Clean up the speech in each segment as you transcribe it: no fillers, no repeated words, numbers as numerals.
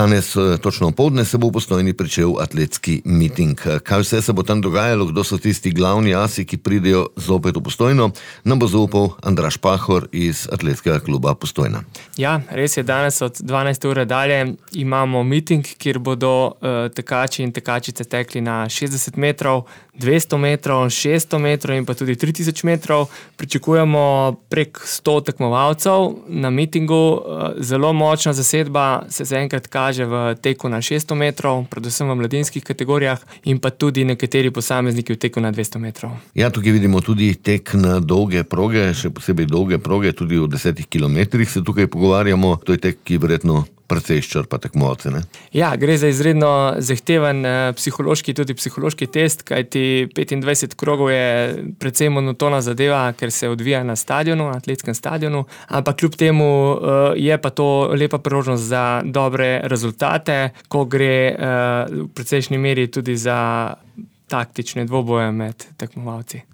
Danes, točno opoldne, se bo v Postojni pričel atletski miting. Kaj vse se bo tam dogajalo, kdo so tisti glavni asi, ki pridejo zopet v Postojno, nam bo zaupal Andraž Pahor iz Atletskega kluba Postojna. Ja, res je, danes od 12. ure dalje imamo miting, kjer bodo tekači in tekačice tekli na 60 metrov, 200 metrov, 600 metrov in pa tudi 3000 metrov. Pričakujemo prek 100 tekmovalcev na mitingu. Zelo močna zasedba se zaenkrat kaže v teku na 600 metrov, predvsem v mladinskih kategorijah in pa tudi nekateri posamezniki v teku na 200 metrov. Ja, tukaj vidimo tudi tek na dolge proge, še posebej dolge proge, tudi v 10 kilometrih se tukaj pogovarjamo. To je tek, ki verjetno precej izčrpa tekmovalce, ne? Ja, gre za izredno zahteven psihološki test, kajti 25 krogov je precej monotona zadeva, ker se odvija na stadionu, na atletskem stadionu, ampak kljub temu je pa to lepa priložnost za dobre rezultate, ko gre v precejšnji meri tudi za taktične dvoboje med tekmovalci.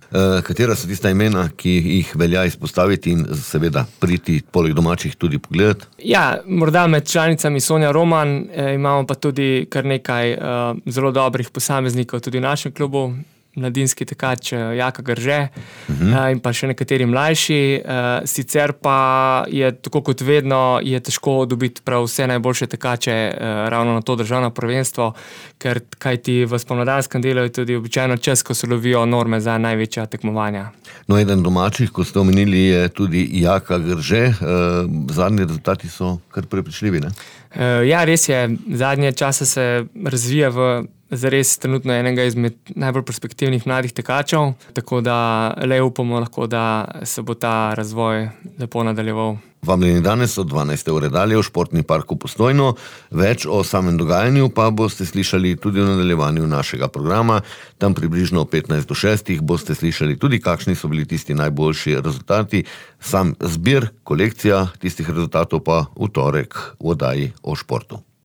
Katera so tista imena, ki jih velja izpostaviti in seveda priti poleg domačih tudi pogledati? Ja, morda med članicami Sonja Roman, imamo pa tudi kar nekaj zelo dobrih posameznikov tudi v našem klubu. Mladinski tekač Jaka Grže in pa še nekateri mlajši. Sicer pa je, tako kot vedno, je težko dobiti prav vse najboljše tekače ravno na to državno prvenstvo, ker kajti v spomladanskem delu je tudi običajno čas, ko se lovijo norme za največja tekmovanja. No, eden domačih, kot ste omenili, je tudi Jaka Grže. Zadnji rezultati so kar prepričljivi, ne? Ja, res je. Zadnje čase se razvija v zares trenutno enega izmed najbolj perspektivnih mladih tekačev, tako da le upamo lahko, da se bo ta razvoj lepo nadaljeval. Vabljeni danes od 12. ure dalje v Športni parku Postojno. Več o samem dogajanju pa boste slišali tudi v nadaljevanju našega programa. Tam približno 15 do 6 boste slišali tudi, kakšni so bili tisti najboljši rezultati. Sam zbir, kolekcija tistih rezultatov pa v torek v oddaji o športu.